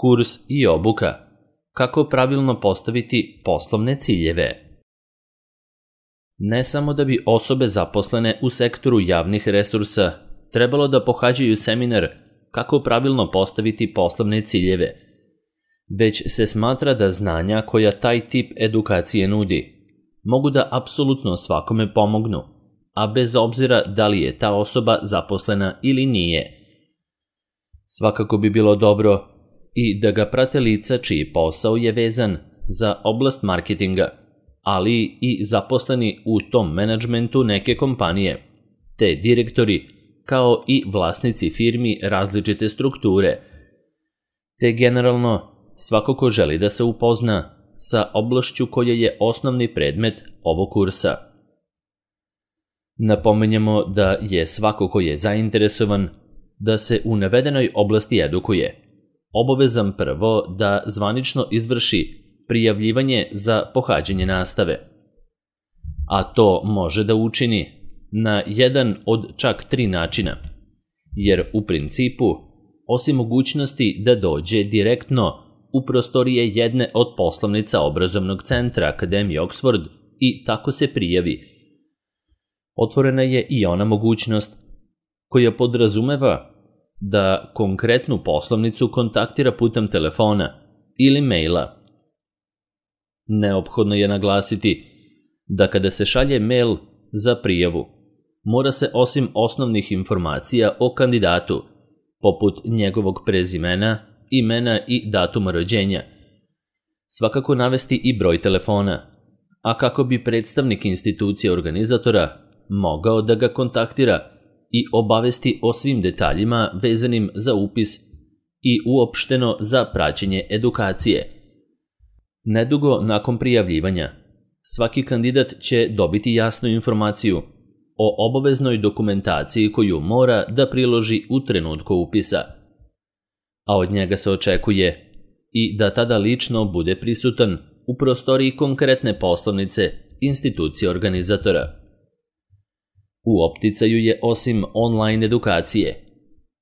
Kurs i obuka. Kako pravilno postaviti poslovne ciljeve? Ne samo da bi osobe zaposlene u sektoru javnih resursa trebalo da pohađaju seminar kako pravilno postaviti poslovne ciljeve, već se smatra da znanja koja taj tip edukacije nudi mogu da apsolutno svakome pomognu, a bez obzira da li je ta osoba zaposlena ili nije. Svakako bi bilo dobro i da ga prate lica čiji posao je vezan za oblast marketinga, ali i zaposleni u tom menadžmentu neke kompanije, te direktori, kao i vlasnici firmi različite strukture, te generalno svako ko želi da se upozna sa oblašću koja je osnovni predmet ovog kursa. Napomenjamo da je svako ko je zainteresovan da se u navedenoj oblasti edukuje obavezan prvo da zvanično izvrši prijavljivanje za pohađanje nastave, a to može da učini na jedan od čak 3 načina, jer u principu, osim mogućnosti da dođe direktno u prostorije jedne od poslovnica obrazovnog centra Akademije Oxford i tako se prijavi, otvorena je i ona mogućnost koja podrazumeva da konkretnu poslovnicu kontaktira putem telefona ili maila. Neophodno je naglasiti da kada se šalje mail za prijavu, mora se osim osnovnih informacija o kandidatu, poput njegovog prezimena, imena i datuma rođenja, svakako navesti i broj telefona, a kako bi predstavnik institucije organizatora mogao da ga kontaktira i obavesti o svim detaljima vezanim za upis i uopšteno za praćenje edukacije. Nedugo nakon prijavljivanja, svaki kandidat će dobiti jasnu informaciju o obaveznoj dokumentaciji koju mora da priloži u trenutku upisa, a od njega se očekuje i da tada lično bude prisutan u prostoriji konkretne poslovnice institucije organizatora. U opticaju je osim online edukacije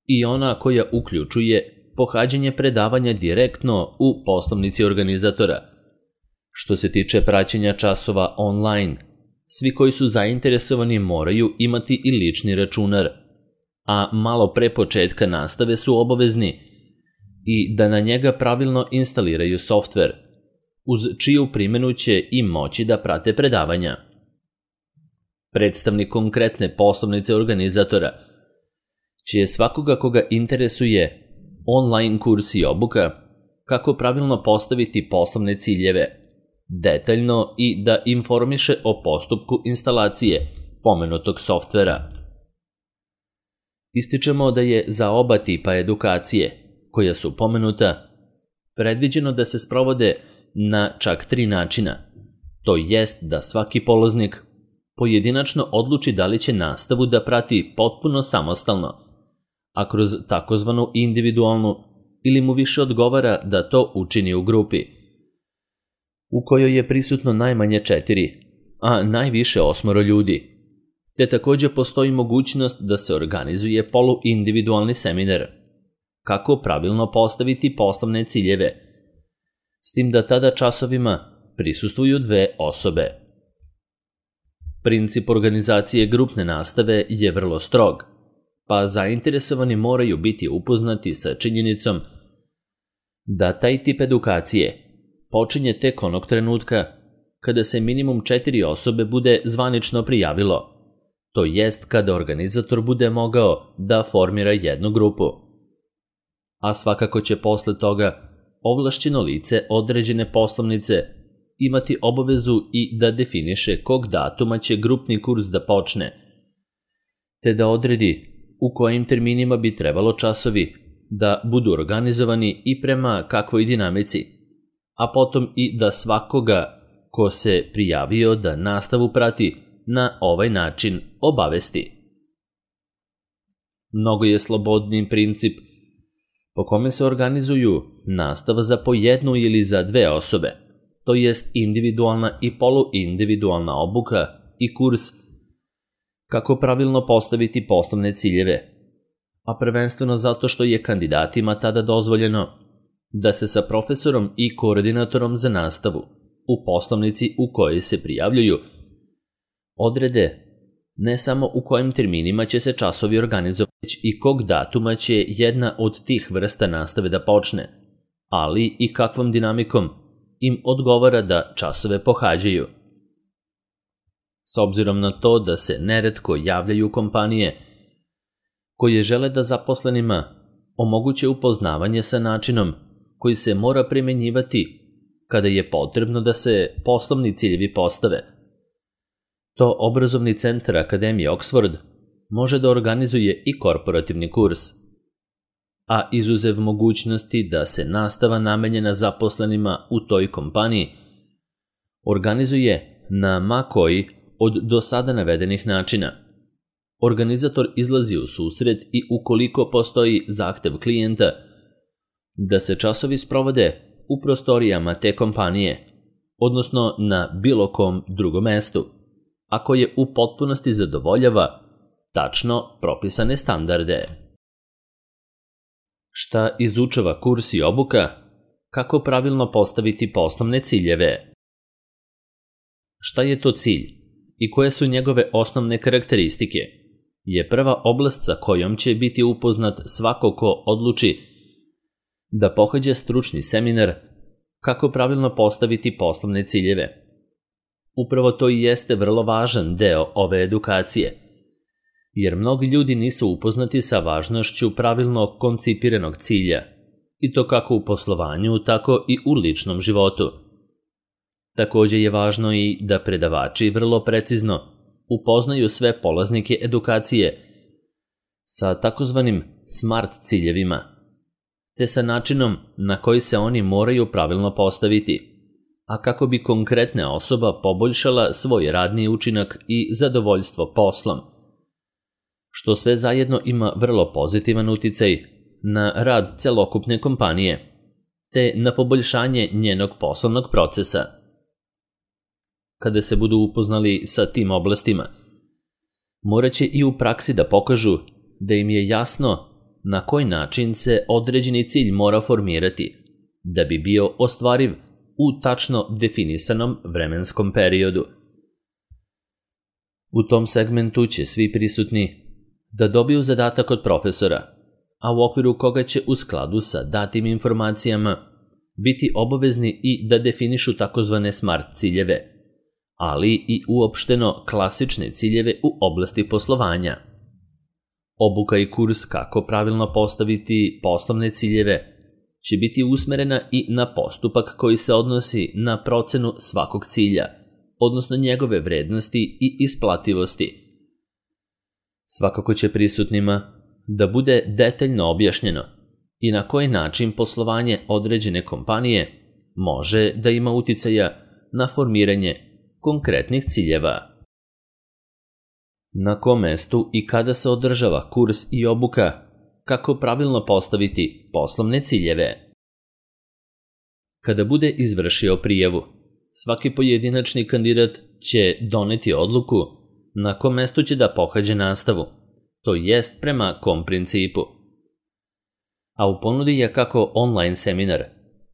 i ona koja uključuje pohađanje predavanja direktno u poslovnici organizatora. Što se tiče praćenja časova online, svi koji su zainteresovani moraju imati i lični računar, a malo pre početka nastave su obavezni i da na njega pravilno instaliraju softver, uz čiju primjenu će i moći da prate predavanja. Predstavnik konkretne poslovnice organizatora će svakoga koga interesuje online kurs i obuka kako pravilno postaviti poslovne ciljeve, detaljno i da informiše o postupku instalacije pomenutog softvera. Ističemo da je za oba tipa edukacije, koja su pomenuta, predviđeno da se sprovode na čak 3 načina, to jest da svaki polaznik pojedinačno odluči da li će nastavu da prati potpuno samostalno, a kroz takozvanu individualnu ili mu više odgovara da to učini u grupi, u kojoj je prisutno najmanje 4, a najviše 8 ljudi, te također postoji mogućnost da se organizuje poluindividualni seminar, kako pravilno postaviti poslovne ciljeve, s tim da tada časovima prisustvuju 2 osobe. Princip organizacije grupne nastave je vrlo strog, pa zainteresovani moraju biti upoznati sa činjenicom da taj tip edukacije počinje tek onog trenutka kada se minimum 4 osobe bude zvanično prijavilo, to jest kada organizator bude mogao da formira jednu grupu. A svakako će posle toga ovlašćeno lice određene poslovnice imati obavezu i da definiše kog datuma će grupni kurs da počne, te da odredi u kojim terminima bi trebalo časovi da budu organizovani i prema kakvoj dinamici, a potom i da svakoga ko se prijavio da nastavu prati na ovaj način obavesti. Mnogo je slobodniji princip po kome se organizuju nastava za po jednu ili za 2 osobe, to jest individualna i poluindividualna obuka i kurs kako pravilno postaviti poslovne ciljeve, a prvenstveno zato što je kandidatima tada dozvoljeno da se sa profesorom i koordinatorom za nastavu u poslovnici u kojoj se prijavljuju odrede ne samo u kojim terminima će se časovi organizovati, već i kog datuma će jedna od tih vrsta nastave da počne, ali i kakvom dinamikom im odgovara da časove pohađaju. S obzirom na to da se neretko javljaju kompanije koje žele da zaposlenima omoguće upoznavanje sa načinom koji se mora primenjivati kada je potrebno da se poslovni ciljevi postave, to obrazovni centar Akademije Oxford može da organizuje i korporativni kurs, a izuzev mogućnosti da se nastava namenjena zaposlenima u toj kompaniji organizuje na ma koji od do sada navedenih načina. Organizator izlazi u susret i ukoliko postoji zahtev klijenta da se časovi sprovode u prostorijama te kompanije, odnosno na bilo kom drugom mestu, a koje u potpunosti zadovoljava tačno propisane standarde. Šta izučava kurs i obuka? Kako pravilno postaviti poslovne ciljeve? Šta je to cilj i koje su njegove osnovne karakteristike? Je prva oblast sa kojom će biti upoznat svako ko odluči da pohađa stručni seminar kako pravilno postaviti poslovne ciljeve. Upravo to i jeste vrlo važan deo ove edukacije, jer mnogi ljudi nisu upoznati sa važnošću pravilno koncipiranog cilja, i to kako u poslovanju, tako i u ličnom životu. Takođe je važno i da predavači vrlo precizno upoznaju sve polaznike edukacije sa takozvanim SMART ciljevima, te sa načinom na koji se oni moraju pravilno postaviti, a kako bi konkretna osoba poboljšala svoj radni učinak i zadovoljstvo poslom, što sve zajedno ima vrlo pozitivan uticaj na rad celokupne kompanije, te na poboljšanje njenog poslovnog procesa. Kada se budu upoznali sa tim oblastima, morat će i u praksi da pokažu da im je jasno na koji način se određeni cilj mora formirati da bi bio ostvariv u tačno definisanom vremenskom periodu. U tom segmentu će svi prisutni da dobiju zadatak od profesora, a u okviru koga će u skladu sa datim informacijama biti obavezni i da definišu takozvane SMART ciljeve, ali i uopšteno klasične ciljeve u oblasti poslovanja. Obuka i kurs kako pravilno postaviti poslovne ciljeve će biti usmerena i na postupak koji se odnosi na procenu svakog cilja, odnosno njegove vrednosti i isplativosti. Svakako će prisutnima da bude detaljno objašnjeno i na koji način poslovanje određene kompanije može da ima uticaja na formiranje konkretnih ciljeva. Na kom mestu i kada se održava kurs i obuka kako pravilno postaviti poslovne ciljeve? Kada bude izvršio prijavu, svaki pojedinačni kandidat će doneti odluku na kom mestu će da pohađa nastavu, to jest prema kom principu. A u ponudi je kako online seminar,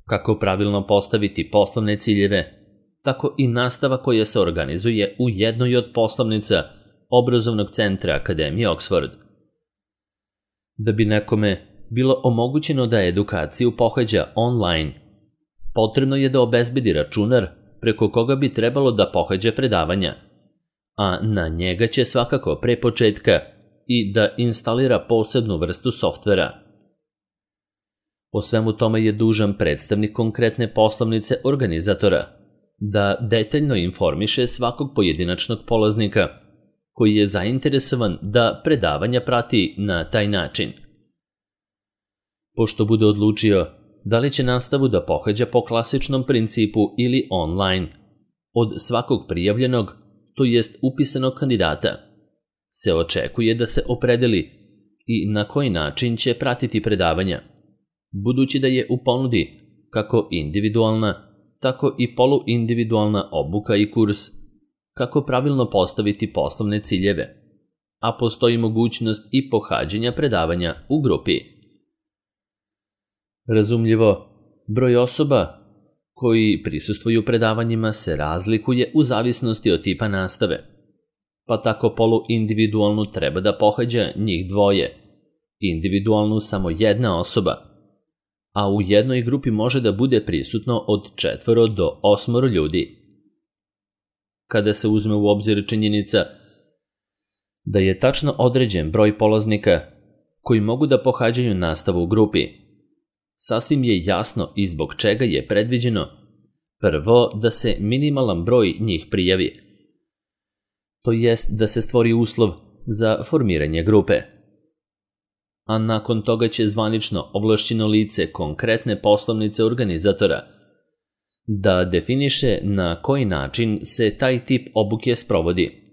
kako pravilno postaviti poslovne ciljeve, tako i nastava koja se organizuje u jednoj od poslovnica obrazovnog centra Akademije Oxford. Da bi nekome bilo omogućeno da edukaciju pohađa online, potrebno je da obezbedi računar preko koga bi trebalo da pohađa predavanja, a na njega će svakako pre početka i da instalira posebnu vrstu softvera. O svemu tome je dužan predstavnik konkretne poslovnice organizatora da detaljno informiše svakog pojedinačnog polaznika koji je zainteresovan da predavanja prati na taj način. Pošto bude odlučio da li će nastavu da pohađa po klasičnom principu ili online, od svakog prijavljenog, to jest upisanog kandidata, se očekuje da se opredeli i na koji način će pratiti predavanja, budući da je u ponudi kako individualna, tako i poluindividualna obuka i kurs, kako pravilno postaviti poslovne ciljeve, a postoji mogućnost i pohađanja predavanja u grupi. Razumljivo, broj osoba koji prisustvuju predavanjima se razlikuje u zavisnosti od tipa nastave, pa tako poluindividualnu treba da pohađa njih dvoje, individualnu samo jedna osoba, a u jednoj grupi može da bude prisutno od 4 do 8 ljudi. Kada se uzme u obzir činjenica da je tačno određen broj polaznika koji mogu da pohađaju nastavu u grupi, sasvim je jasno i zbog čega je predviđeno prvo da se minimalan broj njih prijavi, to jest da se stvori uslov za formiranje grupe. A nakon toga će zvanično ovlašćeno lice konkretne poslovnice organizatora da definiše na koji način se taj tip obuke sprovodi,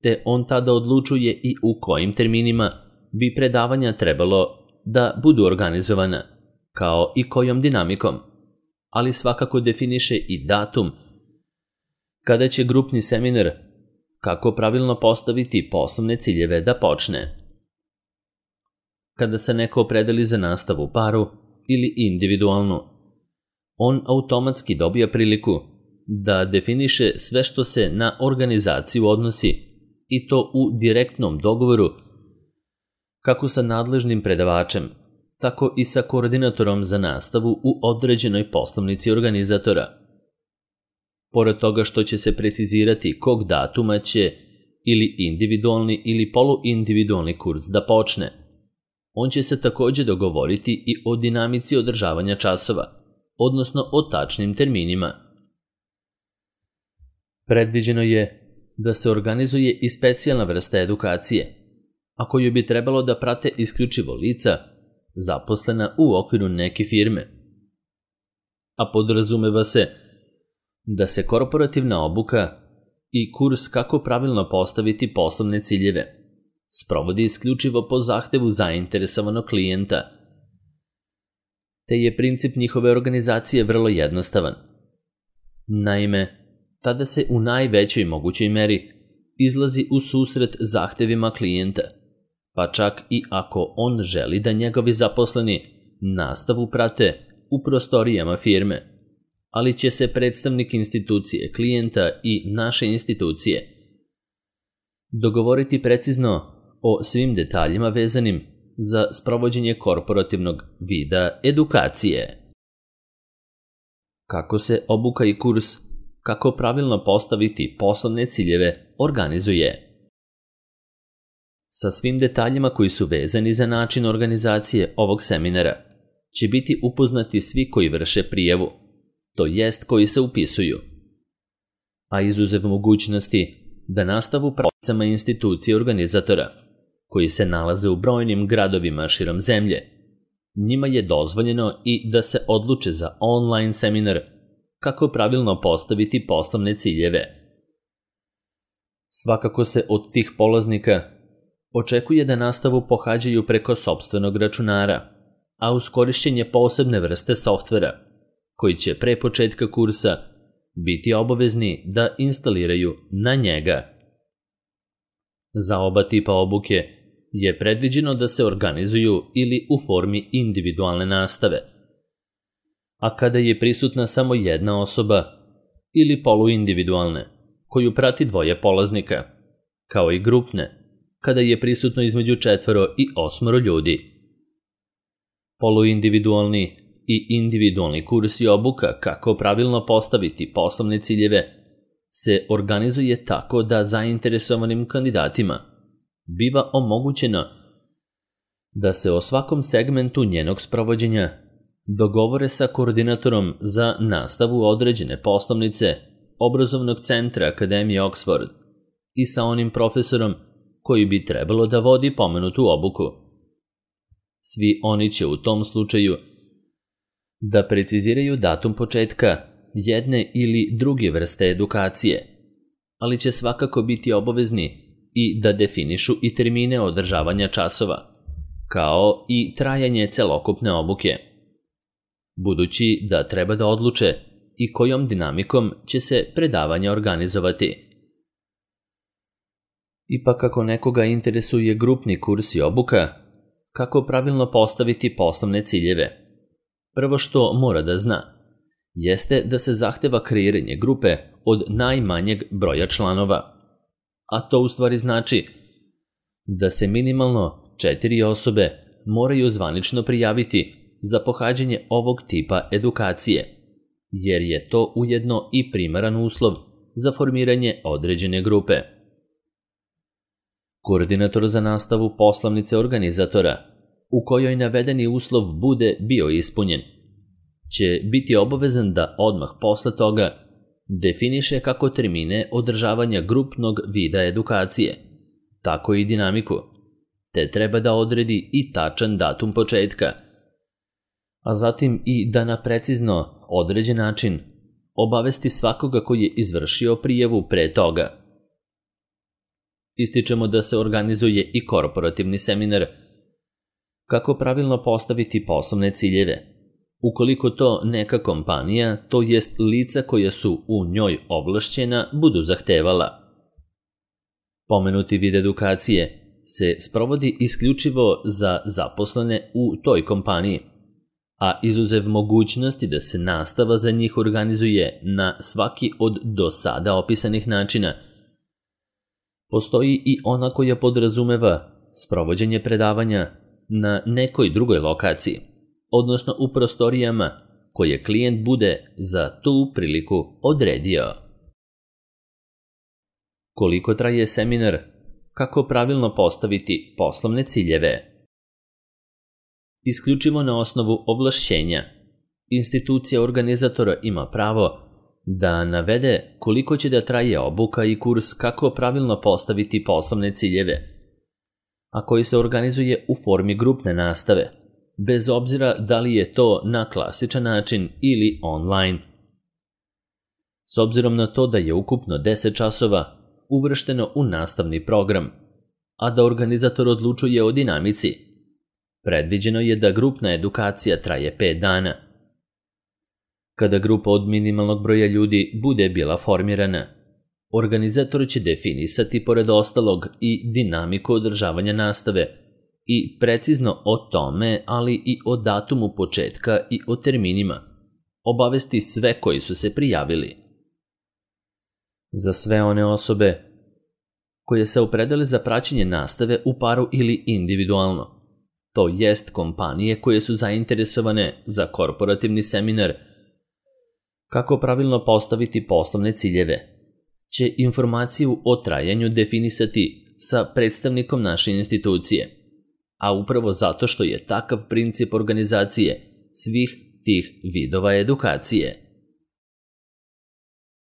te on tada odlučuje i u kojim terminima bi predavanja trebalo da budu organizovana, kao i kojom dinamikom, ali svakako definiše i datum kada će grupni seminar kako pravilno postaviti poslovne ciljeve da počne. Kada se neko opredeli za nastavu u paru ili individualnu, on automatski dobija priliku da definiše sve što se na organizaciju odnosi, i to u direktnom dogovoru kako sa nadležnim predavačem, tako i sa koordinatorom za nastavu u određenoj poslovnici organizatora. Pored toga što će se precizirati kog datuma će ili individualni ili poluindividualni kurs da počne, on će se takođe dogovoriti i o dinamici održavanja časova, odnosno o tačnim terminima. Predviđeno je da se organizuje i specijalna vrsta edukacije, a koju bi trebalo da prate isključivo lica zaposlena u okviru neke firme. A podrazumeva se da se korporativna obuka i kurs kako pravilno postaviti poslovne ciljeve sprovodi isključivo po zahtevu zainteresovanog klijenta, te je princip njihove organizacije vrlo jednostavan. Naime, tada se u najvećoj mogućoj meri izlazi u susret zahtevima klijenta, pa čak i ako on želi da njegovi zaposleni nastavu prate u prostorijama firme, ali će se predstavnik institucije, klijenta i naše institucije dogovoriti precizno o svim detaljima vezanim za sprovođenje korporativnog vida edukacije. Kako se obuka i kurs kako pravilno postaviti poslovne ciljeve organizuje. Sa svim detaljima koji su vezani za način organizacije ovog seminara će biti upoznati svi koji vrše prijavu, to jest koji se upisuju, a izuzev mogućnosti da nastavu pravicama institucije organizatora, koji se nalaze u brojnim gradovima širom zemlje, njima je dozvoljeno i da se odluče za online seminar kako pravilno postaviti poslovne ciljeve. Svakako se od tih polaznika očekuje da nastavu pohađaju preko sopstvenog računara, a uz korišćenje posebne vrste softvera, koji će pre početka kursa biti obavezni da instaliraju na njega. Za oba tipa obuke je predviđeno da se organizuju ili u formi individualne nastave, a kada je prisutna samo jedna osoba ili poluindividualne, koju prati dvoje polaznika, kao i grupne, kada je prisutno između 4 i 8 ljudi. Poluindividualni i individualni kurs i obuka kako pravilno postaviti poslovne ciljeve se organizuje tako da zainteresovanim kandidatima biva omogućeno da se o svakom segmentu njenog sprovođenja dogovore sa koordinatorom za nastavu određene poslovnice obrazovnog centra Akademije Oxford i sa onim profesorom koji bi trebalo da vodi pomenutu obuku. Svi oni će u tom slučaju da preciziraju datum početka jedne ili druge vrste edukacije, ali će svakako biti obavezni i da definišu i termine održavanja časova, kao i trajanje celokupne obuke, budući da treba da odluče i kojom dinamikom će se predavanja organizovati. Ipak ako nekoga interesuje grupni kurs i obuka, kako pravilno postaviti poslovne ciljeve, prvo što mora da zna jeste da se zahteva kreiranje grupe od najmanjeg broja članova, a to u stvari znači da se minimalno 4 osobe moraju zvanično prijaviti za pohađanje ovog tipa edukacije, jer je to ujedno i primaran uslov za formiranje određene grupe. Koordinator za nastavu poslovnice organizatora, u kojoj navedeni uslov bude bio ispunjen, će biti obavezan da odmah posle toga definiše kako termine održavanja grupnog vida edukacije, tako i dinamiku, te treba da odredi i tačan datum početka, a zatim i da na precizno određen način obavesti svakoga koji je izvršio prijavu pre toga. Ističemo da se organizuje i korporativni seminar kako pravilno postaviti poslovne ciljeve, ukoliko to neka kompanija, to jest lica koja su u njoj ovlašćena, budu zahtevala. Pomenuti vid edukacije se sprovodi isključivo za zaposlene u toj kompaniji, a izuzev mogućnosti da se nastava za njih organizuje na svaki od do sada opisanih načina, postoji i ona koja podrazumeva sprovođenje predavanja na nekoj drugoj lokaciji, odnosno u prostorijama koje klijent bude za tu priliku odredio. Koliko traje seminar? Kako pravilno postaviti poslovne ciljeve? Isključivo na osnovu ovlašćenja, institucija organizatora ima pravo da navede koliko će da traje obuka i kurs kako pravilno postaviti poslovne ciljeve, a koji se organizuje u formi grupne nastave, bez obzira da li je to na klasičan način ili online. S obzirom na to da je ukupno 10 časova uvršteno u nastavni program, a da organizator odlučuje o dinamici, predviđeno je da grupna edukacija traje 5 dana. Kada grupa od minimalnog broja ljudi bude bila formirana, organizator će definisati pored ostalog i dinamiku održavanja nastave i precizno o tome, ali i o datumu početka i o terminima, obavesti sve koji su se prijavili. Za sve one osobe koje se opredele za praćenje nastave u paru ili individualno, to jest kompanije koje su zainteresovane za korporativni seminar, kako pravilno postaviti poslovne ciljeve, će informaciju o trajanju definisati sa predstavnikom naše institucije, a upravo zato što je takav princip organizacije svih tih vidova edukacije.